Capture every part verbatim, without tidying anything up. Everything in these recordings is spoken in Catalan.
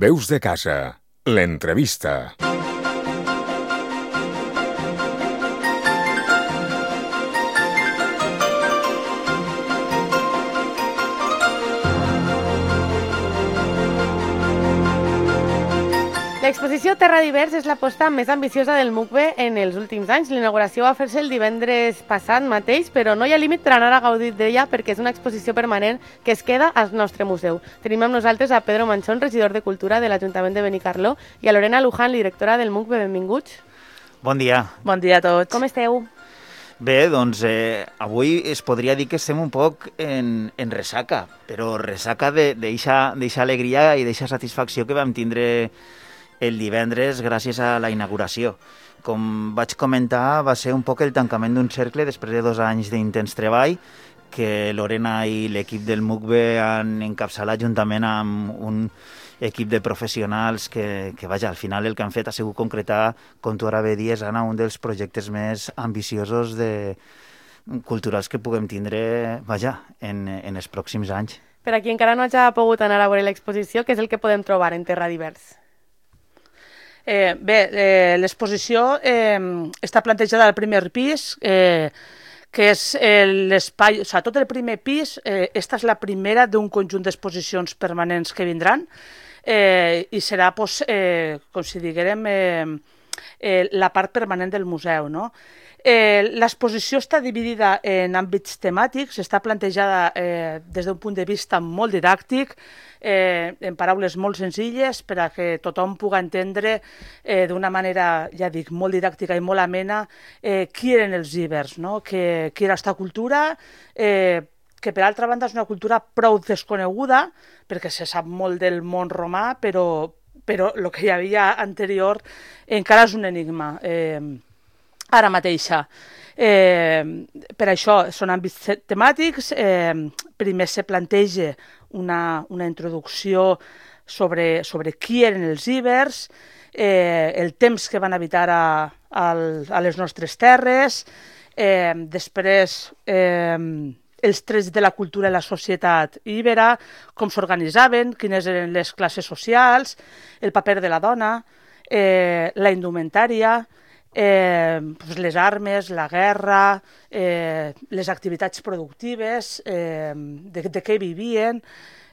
Veus de casa, l'entrevista. L'exposició Terra Divers és l'aposta més ambiciosa del M U C B en els últims anys. L'inauguració va fer-se el divendres passat mateix, però no hi ha límit per anar a gaudir d'ella perquè és una exposició permanent que es queda al nostre museu. Tenim amb nosaltres a Pedro Manchón, regidor de Cultura de l'Ajuntament de Benicarló, i a Lorena Luján, directora del M U C B. Benvinguts. Bon dia. Bon dia a tots. Com esteu? Bé, doncs eh, avui es podria dir que estem un poc en, en ressaca, però ressaca d'eixa alegria i d'eixa satisfacció que vam tindre el divendres gràcies a la inauguració. Com vaig comentar, va ser un poc el tancament d'un cercle després de dos anys d'intens treball que Lorena i l'equip del M U C B han encapçalat juntament amb un equip de professionals que, que vaja, al final el que han fet ha sigut concretar, com tu ara bé dies, Anna, un dels projectes més ambiciosos de culturals que puguem tindre, vaja, en, en els pròxims anys. Per a qui encara no hagi pogut anar a veure l'exposició, què és el que podem trobar en Terra Divers? Eh, bé, eh, l'exposició eh, està plantejada al primer pis, eh, que és l'espai, o sigui, tot el primer pis, eh, esta és la primera d'un conjunt d'exposicions permanents que vindran eh, i serà, pues, eh, com si diguérem, eh, eh, la part permanent del museu, no? Eh, l'exposició està dividida en àmbits temàtics, està plantejada eh, des d'un punt de vista molt didàctic, eh, en paraules molt senzilles, per a que tothom pugui entendre eh, d'una manera, ja dic, molt didàctica i molt amena eh, qui eren els ibers, no? que, qui era aquesta cultura, eh, que per altra banda és una cultura prou desconeguda, perquè se sap molt del món romà, però, però el que hi havia anterior encara és un enigma. Eh, ara mateixa. Eh, per això són àmbits temàtics. Eh, primer se planteja una, una introducció sobre, sobre qui eren els ibers, eh, el temps que van habitar a, a, a les nostres terres, eh, després eh, els trets de la cultura i la societat íbera, com s'organitzaven, quines eren les classes socials, el paper de la dona, eh, la indumentària, Eh, pues les armes, la guerra, eh, les activitats productives, eh, de, de què vivien,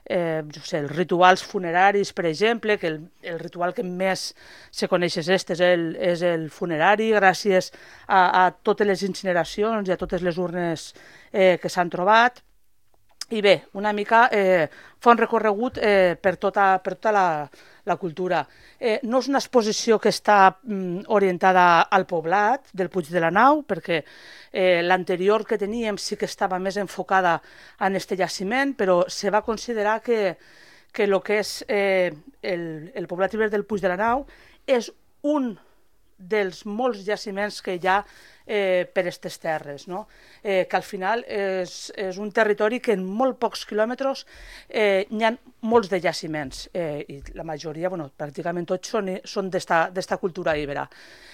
eh, jo sé, els rituals funeraris, per exemple, que el, el ritual que més se coneix és este, és el, és el funerari, gràcies a, a totes les incineracions i a totes les urnes eh, que s'han trobat. I bé, una mica eh, fa un recorregut eh, per tota, per tota la, la cultura. Eh, no és una exposició que està mm, orientada al poblat del Puig de la Nau, perquè eh, l'anterior que teníem sí que estava més enfocada en este jaciment, però se va considerar que, que el que és eh, el, el poblat ibèric del Puig de la Nau és un dels molts jaciments que hi ha eh, per aquestes terres, no? eh, que al final és, és un territori que en molt pocs quilòmetres eh, hi ha molts de jaciments eh, i la majoria, bueno, pràcticament tots són, són d'esta cultura íbera.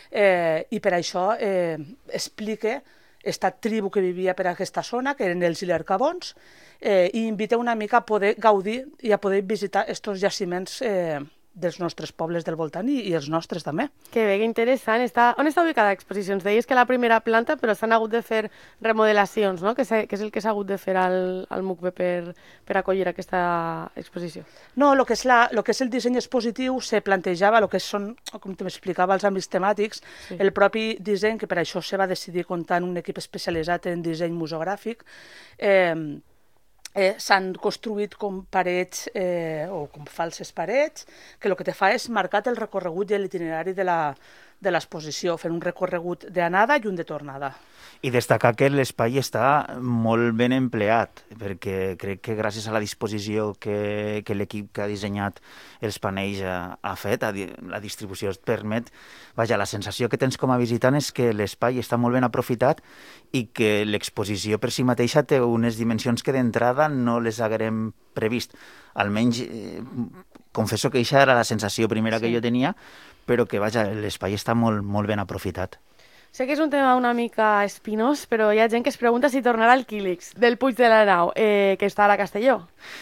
Eh, I per això eh, explica esta tribu que vivia per aquesta zona, que eren els ilercabons, eh, i invita una mica a poder gaudir i a poder visitar aquests jaciments eh, dels nostres pobles del voltant i, i els nostres també. Que bé, que interessant. Està... On està ubicada l'exposició? Ens deies que la primera planta, però s'han hagut de fer remodelacions, no? Que, que és el que s'ha hagut de fer al, al M U C B per, per acollir aquesta exposició. No, el que és, la, lo que és el disseny expositiu se plantejava, el que són, com t'explicava, els àmbits temàtics, sí. El propi disseny, que per això se va decidir comptar en un equip especialitzat en disseny museogràfic, eh, Eh, s'han construït com parets eh, o com falses parets que el que te fa és marcar el recorregut i l'itinerari de la, de l'exposició, fent un recorregut d'anada i un de tornada. I destacar que l'espai està molt ben empleat, perquè crec que gràcies a la disposició que, que l'equip que ha dissenyat els panells ha, ha fet, a, la distribució et permet, vaja, la sensació que tens com a visitant és que l'espai està molt ben aprofitat i que l'exposició per si mateixa té unes dimensions que d'entrada no les haguérem previst. Almenys, eh, confesso que això era la sensació primera sí. que jo tenia, però que, vaja, l'espai està molt, molt ben aprofitat. Sé que és un tema una mica espinós, però hi ha gent que es pregunta si tornarà el Quílix del Puig de la Nau, eh, que està ara a Castelló.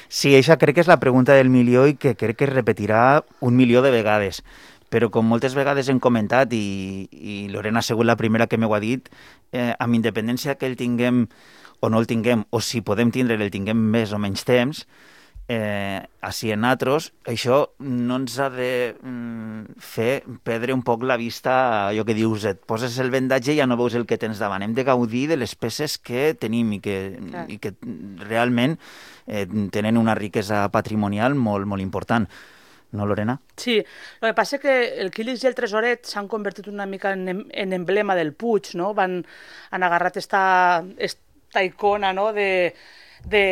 Sí, això crec que és la pregunta del milió i que crec que es repetirà un milió de vegades. Però com moltes vegades hem comentat, i, i Lorena ha sigut la primera que m'ho ha dit, eh, amb independència que el tinguem o no el tinguem, o si podem tindre el tinguem més o menys temps, eh, així en nosaltres, això no ens ha de mm, fer perdre un poc la vista, allò que dius, et poses el vendatge i ja no veus el que tens davant. Hem de gaudir de les peces que tenim i que, Clar. i que realment eh, tenen una riquesa patrimonial molt, molt important. No, Lorena? Sí, el que passa és que el Quílix i el Tresoret s'han convertit una mica en, em- en emblema del Puig, no? Van, han agarrat esta, esta icona, no?, de, de,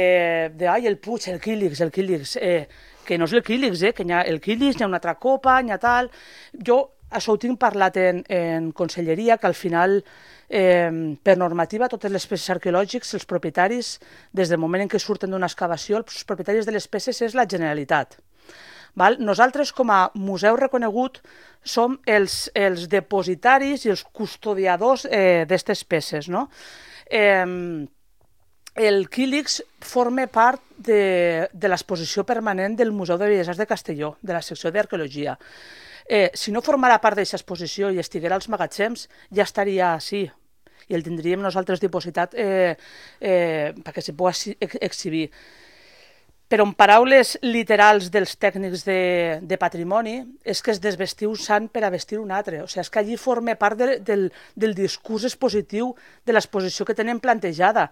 de ai, el Puig, el Quílix, el Quílix, eh, que no és el Quílix, eh, que hi ha el Quílix, hi ha una altra copa, hi ha tal... Jo això ho tinc parlat en, en conselleria, que al final, eh, per normativa, totes les peces arqueològiques, els propietaris, des del moment en què surten d'una excavació, els propietaris de les peces és la Generalitat. Val? Nosaltres, com a museu reconegut, som els, els depositaris i els custodiadors eh, d'aquestes peces. No? Eh, el Quílix forma part de, de l'exposició permanent del Museu de Belles Arts de Castelló, de la secció d'Arqueologia. Eh, si no formara part d'aquesta exposició i estiguera als magatzems, ja estaria així, i el tindríem nosaltres dipositat eh, eh, perquè se pugui exhibir. Però en paraules literals dels tècnics de, de patrimoni, és que es desvestiu un sant per a vestir un altre. O sigui, és que allí forma part de, del, del discurs expositiu de l'exposició que tenen plantejada.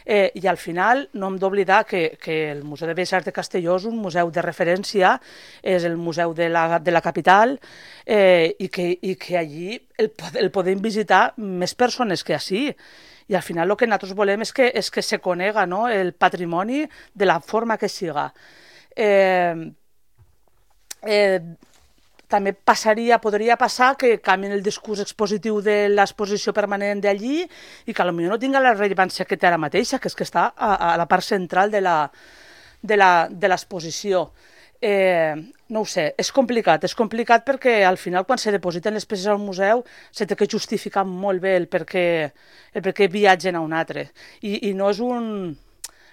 Eh, I al final no hem d'oblidar que, que el Museu de Belles Arts de Castelló és un museu de referència, és el museu de la, de la capital, eh, i, que, i que allí el, el podem visitar més persones que ací. I al final el que nosaltres volem és que, és que se conega, no?, el patrimoni de la forma que siga. Eh, eh, també passaria, podria passar que canvien el discurs expositiu de l'exposició permanent d'allí i que potser no tinga la rellevància que té ara mateixa, que és que està a, a la part central de la, de la, de l'exposició. Eh, no ho sé, és complicat, és complicat perquè al final quan se depositen les peces al museu se té que justificar molt bé el per què, el per què viatgen a un altre. I, i no és un...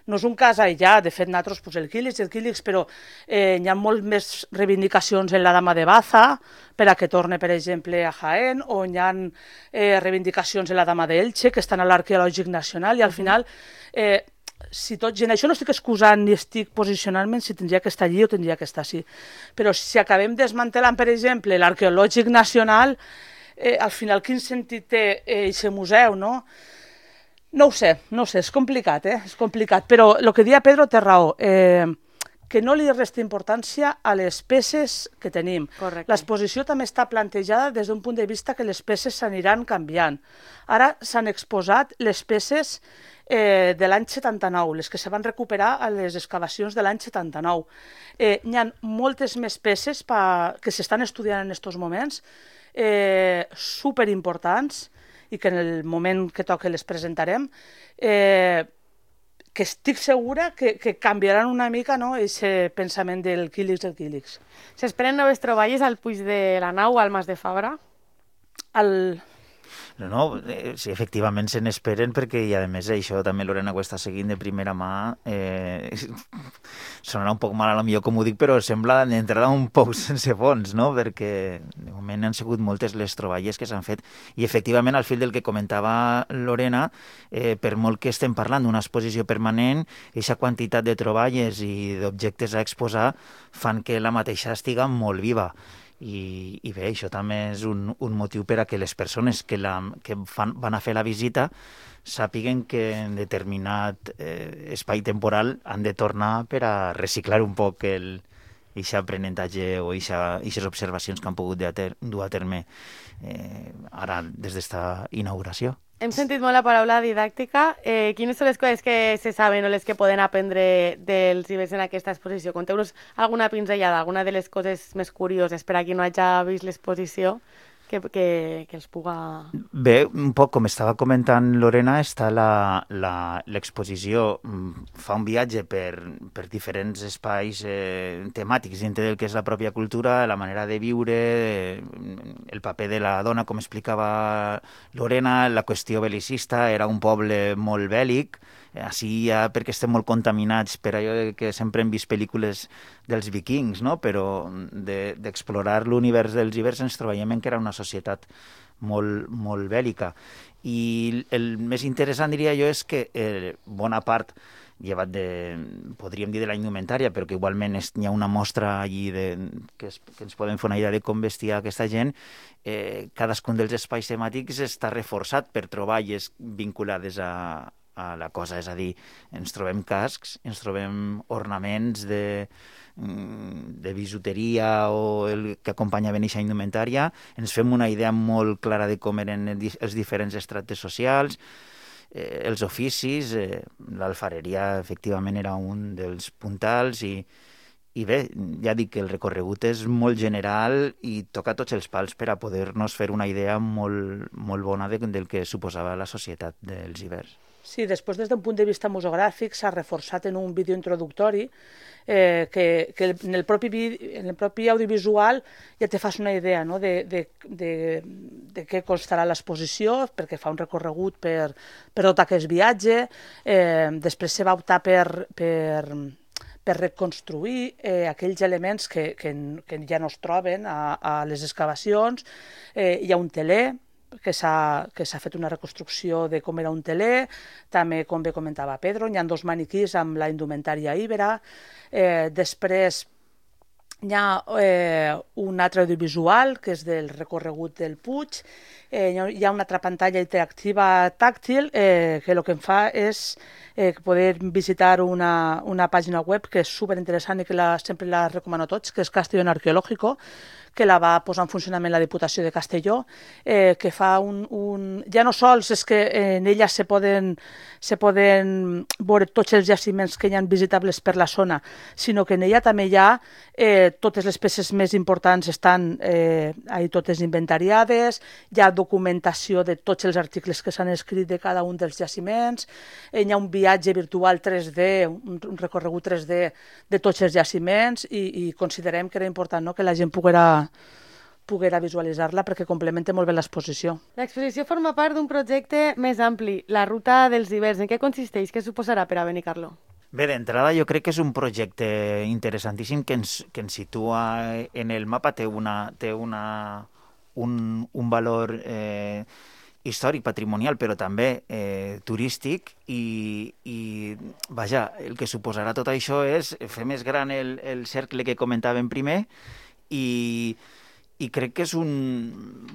No és un cas aïllat, de fet, nosaltres, pues, el Quílix, el Quílix, però eh, hi ha molt més reivindicacions en la Dama de Baza per a que torne, per exemple, a Jaén, o hi ha eh, reivindicacions en la Dama d'Elche, que estan a l'Arqueològic Nacional, i al final... Eh, si tot gent, això no estic excusant ni estic posicionant-me si tindria que estar allí o tindria que estar així, però si acabem desmantelant, per exemple, l'Arqueològic Nacional, eh, al final quin sentit té aquest museu, no? No ho sé, no ho sé, és complicat, eh? És complicat, però el que deia Pedro té raó, eh, que no li resta importància a les peces que tenim. Correcte. L'exposició també està plantejada des d'un punt de vista que les peces s'aniran canviant. Ara s'han exposat les peces eh, de l'any setanta-nou, les que se van recuperar a les excavacions de l'any setanta-nou. Eh, hi ha moltes més peces pa, que s'estan estudiant en aquests moments, eh, superimportants, i que en el moment que toque les presentarem, eh, que estic segura que, que canviaran una mica, no?, aquest pensament del Quílix del Quílix. S'esperen noves troballes al Puig de la Nau, al Mas de Fabra? El... No, no, eh, sí, efectivament se n'esperen perquè, i a més això també Lorena ho està seguint de primera mà, eh, sonarà un poc mal a lo millor com ho dic, però sembla d'entrada un poc sense fons, no?, perquè de moment han sigut moltes les troballes que s'han fet i efectivament al fil del que comentava Lorena, eh, per molt que estem parlant d'una exposició permanent, aquesta quantitat de troballes i d'objectes a exposar fan que la mateixa estiga molt viva. I, i bé, això també és un, un motiu per a que les persones que, la, que fan, van a fer la visita sàpiguen que en determinat eh, espai temporal han de tornar per a reciclar un poc el aquest aprenentatge o aquestes observacions que han pogut dur a terme eh, ara des d'esta inauguració. Hem sentit molt la paraula didàctica. Eh, quines són les coses que se saben o les que poden aprendre dels ibers en aquesta exposició? Conteu-nos alguna pinzellada, alguna de les coses més curioses per a qui no hagi vist l'exposició que, que, que els puga... Bé, un poc com estava comentant Lorena, està la- la- l'exposició, mm, fa un viatge per, per diferents espais eh, temàtics dintre del que és la pròpia cultura, la manera de viure, eh, el paper de la dona, com explicava Lorena, la qüestió belicista, era un poble molt bèl·lic, eh, així ja perquè estem molt contaminats per allò de que sempre hem vist pel·lícules dels vikings, no? Però de- d'explorar l'univers dels ibers ens trobàvem en que era una societat molt, molt bèl·lica. I el més interessant, diria jo, és que eh, bona part, llevat de, podríem dir de la indumentària, però que igualment és, hi ha una mostra allí de, que, es, que ens podem fer una idea de com vestia aquesta gent, eh, cadascun dels espais temàtics està reforçat per troballes vinculades a, a la cosa, és a dir, ens trobem cascs, ens trobem ornaments de, de bisuteria o el que acompanyaven aquesta indumentària, ens fem una idea molt clara de com eren els diferents estrates socials, eh, els oficis, eh, l'alfareria efectivament era un dels puntals i, i bé, ja dic que el recorregut és molt general i toca tots els pals per a poder-nos fer una idea molt, molt bona de, del que suposava la societat dels ibers. Sí, després des d'un punt de vista museogràfic s'ha reforçat en un vídeo introductori eh, que, que en, el propi, en el propi audiovisual ja te fas una idea, no? de, de, de, de què constarà l'exposició, perquè fa un recorregut per, per tot aquest viatge, eh, després se va optar per, per, per reconstruir eh, aquells elements que, que, que ja no es troben a, a les excavacions. Eh, hi ha un teler, que s'ha que s'ha fet una reconstrucció de com era un teler, també, com bé comentava Pedro, hi ha dos maniquís amb la indumentària íbera, eh, després hi ha eh, un altre audiovisual, que és del recorregut del Puig, eh, hi ha una altra pantalla interactiva tàctil, eh, que el que em fa és eh, poder visitar una, una pàgina web que és superinteressant i que la, sempre la recomano a tots, que és Castellón Arqueológico, que la va posar en funcionament la Diputació de Castelló, eh, que fa un, un... Ja no sols és que en ella se poden, se poden veure tots els jaciments que hi ha visitables per la zona, sinó que en ella també hi ha eh, totes les peces més importants estan eh, ahí totes inventariades, hi ha documentació de tots els articles que s'han escrit de cada un dels jaciments, eh, hi ha un viatge virtual tres D, un, un recorregut tres D de tots els jaciments i, i considerem que era important, no?, que la gent poguera poguera visualitzar-la perquè complementa molt bé l'exposició. L'exposició forma part d'un projecte més ampli, la Ruta dels Ibers. En què consisteix? Què suposarà per a Benicarló? Bé, d'entrada jo crec que és un projecte interessantíssim que ens, que ens situa en el mapa, té, una, té una, un, un valor eh, històric, patrimonial, però també eh, turístic i, i, vaja, el que suposarà tot això és fer més gran el, el cercle que comentàvem primer i, i crec que és un,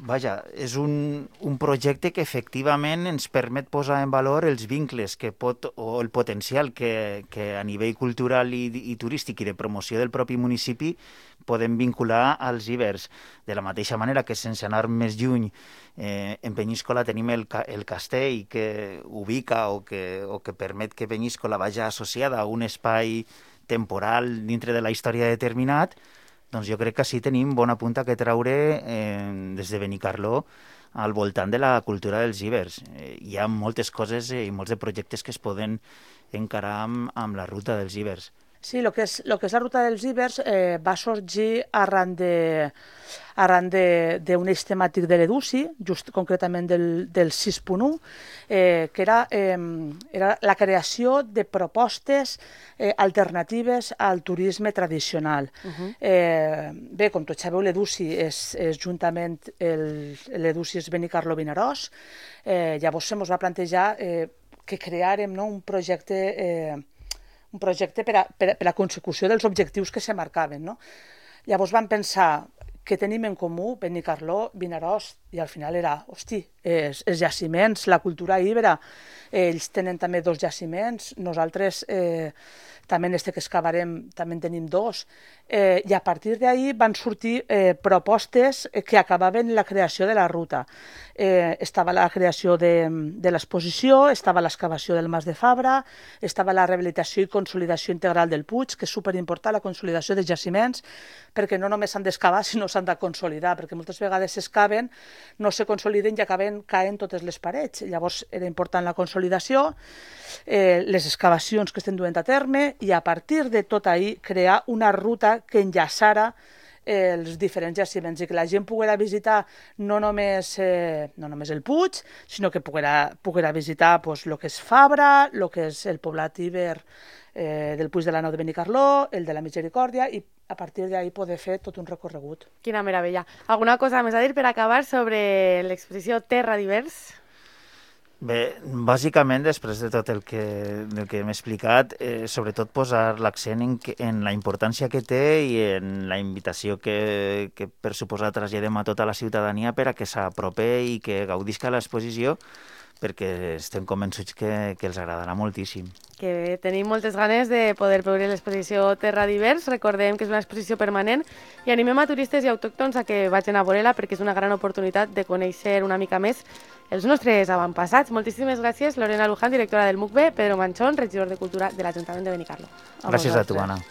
vaja, és un, un projecte que efectivament ens permet posar en valor els vincles que pot, o el potencial que, que a nivell cultural i, i turístic i de promoció del propi municipi podem vincular als ibers. De la mateixa manera que sense anar més lluny, eh, en Penyíscola tenim el, el castell que ubica o que, o que permet que Penyíscola vagi associada a un espai temporal dintre de la història determinat. Doncs jo crec que sí tenim bona punta que treure eh, des de Benicarló al voltant de la cultura dels ibers. Eh, hi ha moltes coses i molts de projectes que es poden encarar amb, amb la ruta dels ibers. Sí, el que és, lo que és la ruta dels ibers eh, va sorgir arran de arran d'un eix temàtic de l'Educi, just concretament del, del sis punt u, eh, que era, eh, era la creació de propostes eh, alternatives al turisme tradicional. Uh-huh. eh, bé, com tots sabeu, l'Educi és, és juntament l'Educi és Benicarló Vinaròs, eh, llavors se mos va plantejar eh, que creàrem, no, un projecte eh, un projecte per a, per, a, per a la consecució dels objectius que se marcaven, no? Llavors vam pensar que tenim en comú Benicarló, Vinaròs, i al final era, hosti, els, els jaciments, la cultura íbera, ells tenen també dos jaciments, nosaltres eh, també en este que excavarem també en tenim dos, eh, i a partir d'ahir van sortir eh, propostes que acabaven la creació de la ruta. Eh, estava la creació de, de l'exposició, estava l'excavació del Mas de Fabra, estava la rehabilitació i consolidació integral del Puig, que és superimportant, la consolidació de jaciments, perquè no només s'han d'excavar, sinó s'han de consolidar, perquè moltes vegades s'excaven, no se consoliden i acaben caent totes les parets. Llavors era important la consolidació, eh, les excavacions que estem duent a terme, i a partir de tot ahir crear una ruta que enllaçara eh, els diferents jaciments i que la gent poguera visitar no només, eh, no només el Puig, sinó que poguera, poguera visitar pues, el que és Fabra, el que és el poblat Iber eh, del Puig de la Nau de Benicarló, el de la Misericòrdia, i a partir d'ahir poder fer tot un recorregut. Quina meravella. Alguna cosa més a dir per acabar sobre l'exposició Terra Divers? Bé, bàsicament, després de tot el que, el que hem explicat, eh, sobretot posar l'accent en, que, en la importància que té i en la invitació que, que per suposar traslladem a tota la ciutadania per a que s'aprope i que gaudisca l'exposició, perquè estem convençuts que, que els agradarà moltíssim. Que tenim moltes ganes de poder veure l'exposició Terra Divers. Recordem que és una exposició permanent i animem a turistes i autòctons a que vagin a veure-la perquè és una gran oportunitat de conèixer una mica més els nostres avantpassats. Moltíssimes gràcies, Lorena Luján, directora del M U C B, Pedro Manchón, regidor de Cultura de l'Ajuntament de Benicarló. Gràcies a tu, Anna.